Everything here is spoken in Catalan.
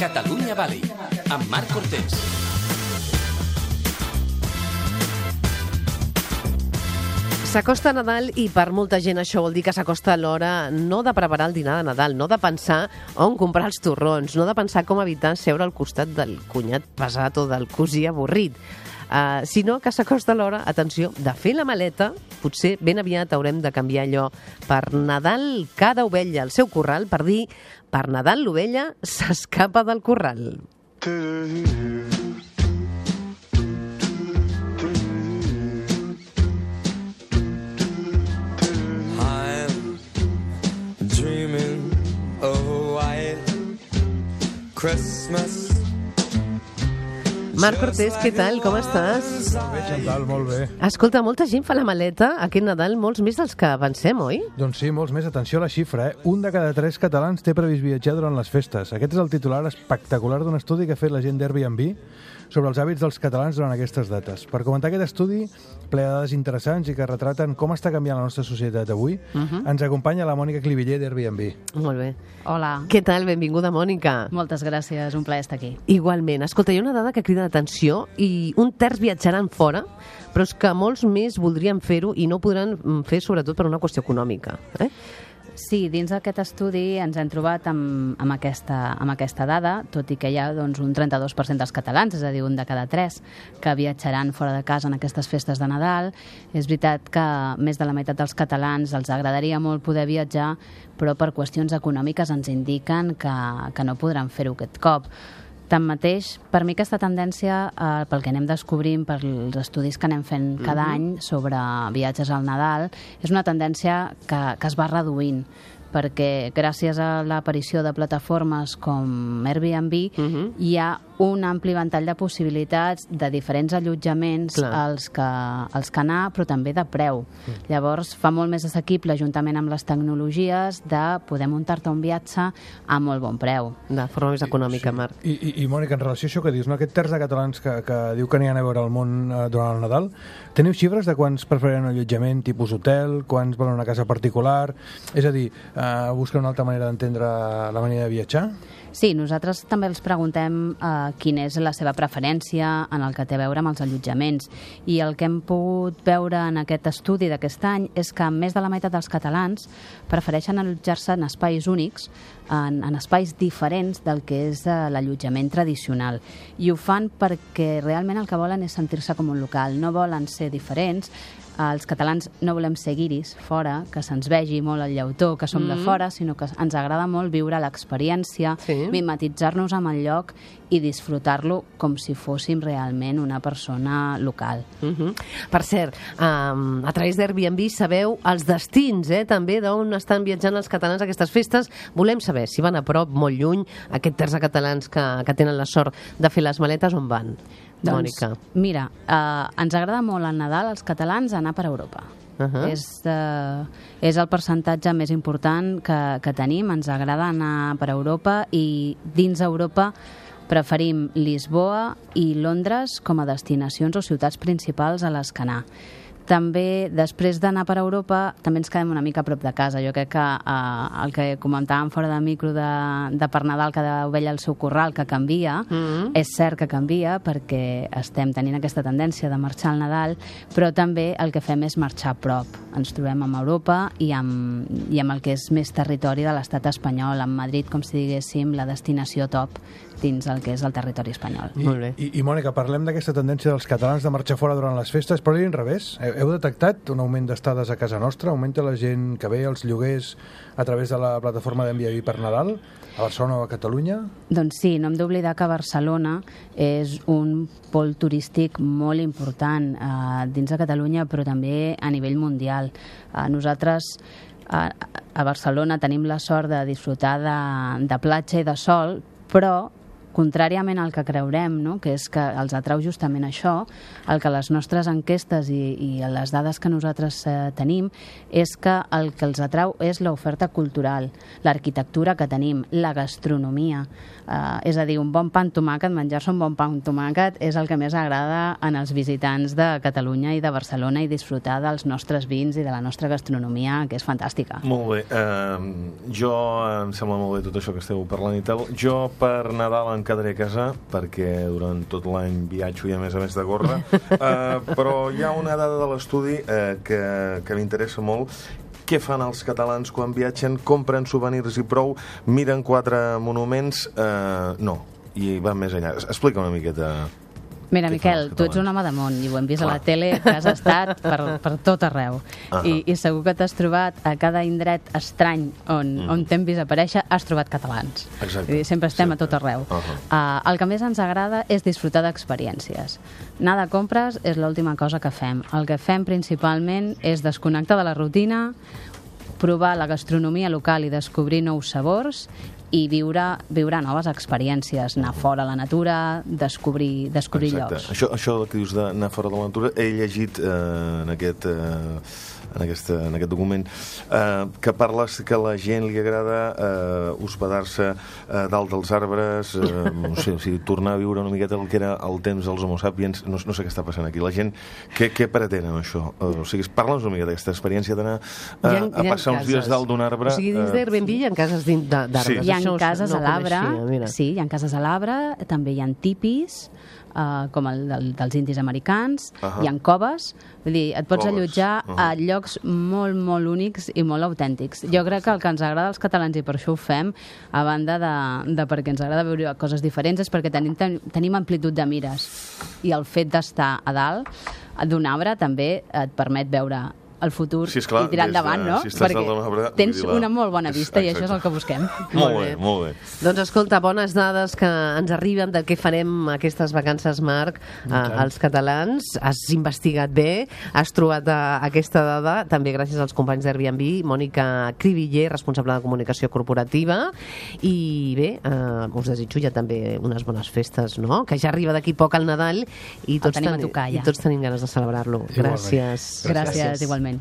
Catalunya Valley, amb Marc Cortés. S'acosta Nadal i per molta gent això vol dir que s'acosta l'hora no de preparar el dinar de Nadal, no de pensar on comprar els torrons, no de pensar com evitar seure al costat del cunyat pesat o del cosí avorrit, sinó que s'acosta l'hora, atenció, de fer la maleta. Potser ben aviat haurem de canviar allò per Nadal cada ovella al seu corral, per dir per Nadal l'ovella s'escapa del corral. Christmas. Marc Cortés, què tal? Com estàs? Bé, Chantal, molt bé. Escolta, molta gent fa la maleta aquest Nadal, molts més dels que pensem, oi? Doncs sí, molts més. Atenció a la xifra, Un de cada 3 catalans té previst viatjar durant les festes. Aquest és el titular espectacular d'un estudi que ha fet la gent d'Airbnb sobre els hàbits dels catalans durant aquestes dates. Per comentar aquest estudi, ple de dades interessants i que retraten com està canviant la nostra societat avui, ens acompanya la Mònica Cliviller d'Airbnb. Molt bé. Hola. Què tal? Benvinguda, Mònica. Moltes gràcies, un plaer estar aquí. Igualment. Escolta, hi ha una dada que crida l'atenció i un terç viatjaran fora, però és que molts més voldrien fer-ho i no ho podran fer sobretot per una qüestió econòmica. Sí, dins d'aquest estudi ens hem trobat amb aquesta dada, tot i que hi ha doncs, un 32% dels catalans, és a dir, un de cada 3, que viatjaran fora de casa en aquestes festes de Nadal. És veritat que més de la meitat dels catalans els agradaria molt poder viatjar, però per qüestions econòmiques ens indiquen que no podran fer-ho aquest cop. Tanmateix, per mi aquesta tendència, pel que anem descobrint, pels estudis que anem fent cada any sobre viatges al Nadal, és una tendència que es va reduint, perquè gràcies a l'aparició de plataformes com Airbnb hi ha un ampli ventall de possibilitats de diferents allotjaments als que anar, però també de preu. Llavors fa molt més assequible, juntament amb les tecnologies, de poder muntar-te un viatge a molt bon preu. De forma més econòmica, Marc. I Mònica, en relació a això que dius, no? Aquest terç de catalans que diu que aniran a veure el món durant el Nadal, teniu xifres de quants prefereixen un allotjament tipus hotel, quants volen una casa particular? És a dir, busquen una altra manera d'entendre la manera de viatjar? Sí, nosaltres també els preguntem quina és la seva preferència en el que té a veure amb els allotjaments. I el que hem pogut veure en aquest estudi d'aquest any és que més de la meitat dels catalans prefereixen allotjar-se en espais únics, en espais diferents del que és l'allotjament tradicional. I ho fan perquè realment el que volen és sentir-se com un local, no volen ser diferents. Els catalans no volem ser guiris fora, que se'ns vegi molt el llautó, que som de fora, sinó que ens agrada molt viure l'experiència, mimetitzar-nos amb el lloc i disfrutar-lo com si fóssim realment una persona local. Per cert, a través d'Airbnb sabeu els destins, també, d'on estan viatjant els catalans a aquestes festes. Volem saber si van a prop, molt lluny, aquest terç de catalans que tenen la sort de fer les maletes, on van? Mònica. Mira, ens agrada molt al Nadal als catalans anar per Europa. És el percentatge més important que tenim. Ens agrada anar per Europa i dins Europa preferim Lisboa i Londres com a destinacions o ciutats principals a les que anar. També, després d'anar per Europa, també ens quedem una mica a prop de casa. Jo crec que el que comentàvem fora de micro de per Nadal, cada ovella al seu corral, que canvia, és cert que canvia perquè estem tenint aquesta tendència de marxar al Nadal, però també el que fem és marxar a prop. Ens trobem amb Europa i amb el que és més territori de l'estat espanyol, amb Madrid, com si diguéssim, la destinació top dins el que és el territori espanyol. I Mònica, parlem d'aquesta tendència dels catalans de marxar fora durant les festes, però a l'inrevés. Heu detectat un augment d'estades a casa nostra? Augmenta la gent que ve als lloguers a través de la plataforma d'Airbnb per Nadal, a Barcelona o a Catalunya? Doncs sí, no hem d'oblidar que Barcelona és un pol turístic molt important dins de Catalunya, però també a nivell mundial. Nosaltres a Barcelona tenim la sort de disfrutar de platja i de sol, però contràriament al que creurem, no? Que és que els atrau justament això, el que les nostres enquestes i les dades que nosaltres tenim és que el que els atrau és l'oferta cultural, l'arquitectura que tenim, la gastronomia. És a dir, un bon pa amb tomàquet, menjar-se un bon pa amb tomàquet és el que més agrada en els visitants de Catalunya i de Barcelona, i disfrutar dels nostres vins i de la nostra gastronomia, que és fantàstica. Molt bé. Em sembla molt bé tot això que esteu parlant i tal. Jo per Nadal em quedaré a casa perquè durant tot l'any viatjo i a més de córrer. Però hi ha una dada de l'estudi que m'interessa molt. Què fan els catalans quan viatgen? Compren souvenirs i prou? Miren 4 monuments? No, i van més enllà. Explica una miqueta. Mira, Miquel, tu ets un home de món i ho hem vist a la tele, que has estat per tot arreu. I segur que t'has trobat a cada indret estrany on t'hem vist aparèixer, has trobat catalans. Exacte. Sempre estem a tot arreu. El que més ens agrada és disfrutar d'experiències. Anar de compres és l'última cosa que fem. El que fem principalment és desconnectar de la rutina, provar la gastronomia local i descobrir nous sabors i viure noves experiències, anar fora a la natura, descobrir llocs. Això que dius d'anar fora de la natura, he llegit en aquest document que parles que a la gent li agrada hospedar-se dalt dels arbres, no sé, o sigui, tornar a viure una miqueta el que era el temps dels homo sapiens. No sé què està passant aquí. La gent, què pretén amb això? O sigui, parla'ns una miqueta d'aquesta experiència d'anar a passar uns dies dalt d'un arbre. O sigui, dins d'Airbnb hi ha cases d'arbres. Sí. Hi ha cases a l'arbre, sí, hi ha cases a l'arbre, també hi ha tipis, com el dels indis americans, hi ha coves, vull dir, et pots allotjar a llocs molt, molt únics i molt autèntics. Jo crec que el que ens agrada als catalans, i per això ho fem, a banda de perquè ens agrada veure coses diferents, és perquè tenim amplitud de mires, i el fet d'estar a dalt d'un arbre també et permet veure el futur i tirar endavant, no? Perquè tens una molt bona vista i això és el que busquem. Molt bé. Doncs escolta, bones dades que ens arriben de què farem aquestes vacances, Marc, als catalans. Has investigat bé, has trobat aquesta dada, també gràcies als companys d'Airbnb, Mònica Cribiller, responsable de comunicació corporativa, i bé, us desitjo ja també unes bones festes, no? Que ja arriba d'aquí poc el Nadal i tots tenim ganes de celebrar-lo. Gràcies. Gràcies, igualment.